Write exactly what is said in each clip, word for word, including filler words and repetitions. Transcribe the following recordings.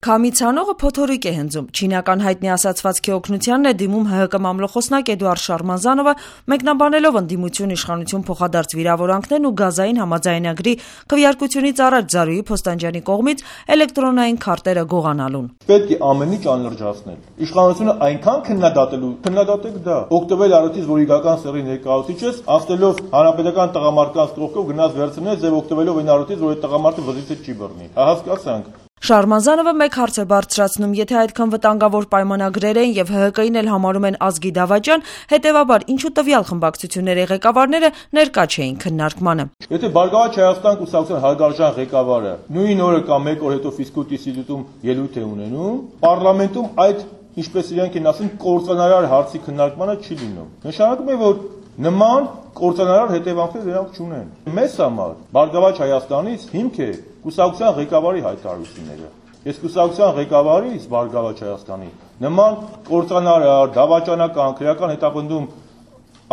Քամի ցանողը փոթորիկ է հնձում։ Չինական հայտնի ասացվածքի օգնությանն է դիմում ՀՀԿ մամլոխոսնակ Էդուարդ Շարմազանովը, մեկնաբանելով ընդդիմություն իշխանություն փոխադարձ վիրավորանքներն ու գազային համաձայնագրի քվեարկությունից առաջ Զարուհի Փոստանջյանի կողմից էլեկտրոնային քարտերը գողանալուն։ Պետք է ամեն ինչ անլրջացնել։ Իշխանությունը այնքան քննադատելու, քննադատեք դա։ Օգտվել առիթից, որ իգական սերի ներկայացուցիչ ես, ասելով հանրապետական տղամարդկանց կողքով գնաց վերցնես եւ օգտվելով այն առիթից, որ այդ տղամարդը վզից չի բռնի։ Հա հասկացանք։ Շարմազանովը մեկ հարց է բարձրացնում, եթե այդքան վտանգավոր պայմանագրեր են եւ ՀՀԿ-ին էլ համարում են ազգի դավաճան, հետեւաբար ինչու տվյալ խմբակցությունների ղեկավարները ներկա չէին քննարկմանը։ Եթե Բարգավաճ Հայաստան կուսակցության հարգարժան ղեկավարը նույն օրը կամ մեկ օր հետո ֆիզկուլտ ինստիտուտում ելույթ է ունենում, պարլամենտում այդ, ինչպես իրենք են ասում, կործանարար հարցի քննարկմանը չի լինում։ Նշանակում է, որ նման կործանարար հետևանքներ դրանք չունեն։ Մեզ համար Բարգավաճ Հայաստանից հիմք է կուսակցության ղեկավարի հայտարարությունները։ Ես կուսակցության ղեկավարից Բարգավաճ Հայաստանի նման կործանարար, դավաճանական, քրեական հետապնդում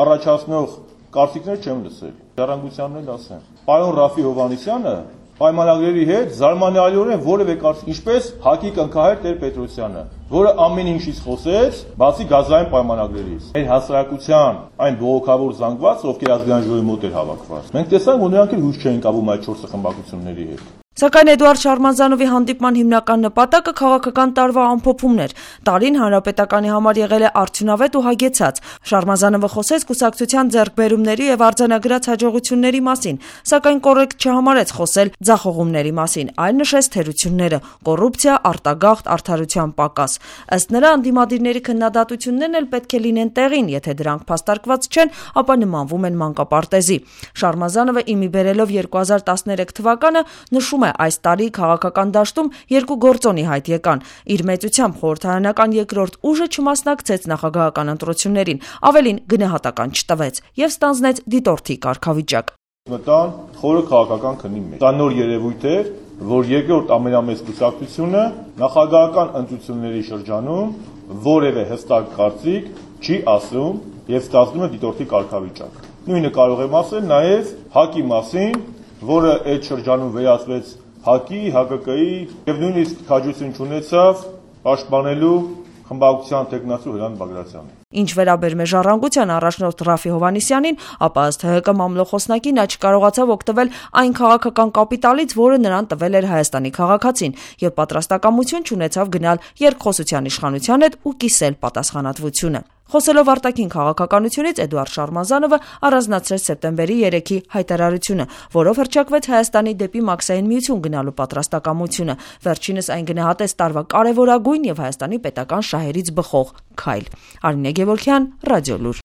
առաջացնող կարծիքներ չեմ լսել։ Ժառանգությանն էլ ասեմ։ Պարոն Ռաֆի Հովհաննիսյանը պայմանագրերի հետ զարմանալիորեն որևէ կարծիք, ինչպես ՀԱԿ-ի կնքահայր Տեր-Պետրոսյանը, որը ամեն ինչից խոսեց, բացի գազային պայմանագրերից։ Այն հասարակության, այն բողոքավոր զանգվածը, ովքեր ազգային ժողովի մոտ էր հավաքված։ Մենք տեսանք, որ նրանք էլ հույս չէին կապում այդ չորս խմբակցությունների հետ։ Սակայն Էդուարդ Շարմազանովի հանդիպման հիմնական նպատակը քաղաքական տարվա ամփոփումն էր։ Տարին հանրապետականի համար եղել է արդյունավետ ու հագեցած։ Շարմազանովը խոսեց կուսակցության ձեռքբերումների եւ արձանագրած հաջողությունների մասին, սակայն կոռեկտ չհամարեց խոսել ձախողումների մասին, այլ նշեց թերությունները՝ կոռուպցիա, արտագաղթ, արդարության պակաս։ Ըստ նրա, ընդդիմադիրների քննադատություններն էլ պետք է լինեն տեղին, եթե դրանք փաստարկված չեն, ապա նմանվում են մանկապարտեզի։ Շարմազանովը իմի բերելով երկու հազար տասներեք թվականը նշում այս տարի քաղաքական դաշտում երկու գործոնի հայտ եկան։ Իր մեծությամբ խորհրդարանական երկրորդ ուժը չմասնակցեց նախագահական ընտրություններին, ավելին գնահատական չտվեց եւ ստանձնեց դիտորդի կարգավիճակ։ Մտան խորը քաղաքական քնի մեջ։ Դա նոր երևույթ էր, որ երկրորդ ամենամեծ կուսակցությունը նախագահական ընտրությունների շրջանում որևէ հստակ կարծիք չի ասում եւ ստանձնում է դիտորդի կարգավիճակ։ Նույնը կարող եմ ասել նաեւ ՀԱԿ-ի մասին, որը այդ շրջանում վերածվեց ՀԱԿ-ի, ՀԱԿԿ-ի եւ նույնիսկ քաջություն չունեցավ պաշտպանելու խմբակցության տեխնացու Հրանտ Բագրատյանը։ Ինչ վերաբերում է Ժառանգության առաջնորդ Ռաֆի Հովհաննիսյանին, ապա ըստ ՀՀԿ մամլոխոսնակի նա չկարողացավ օգտվել այն քաղաքական կապիտալից, որը նրան տվել էր Հայաստանի քաղաքացին, եւ պատրաստակամություն չունեցավ գնալ երկխոսության իշխանության հետ ու կիսել պատասխանատվությունը։ Խոսելով արտաքին քաղաքականությունից Էդուարդ Շարմազանովը առանձնացրեց սեպտեմբերի երեքի հայտարարությունը, որով հռչակվեց Հայաստանի դեպի Մաքսային միություն գնալու պատրաստակամությունը։ Վերջինս այն գնահատեց տարվա կարևորագույն եւ Հայաստանի պետական շահերից բխող քայլ։ Արինե Գևորգյան, Ռադիոլուր։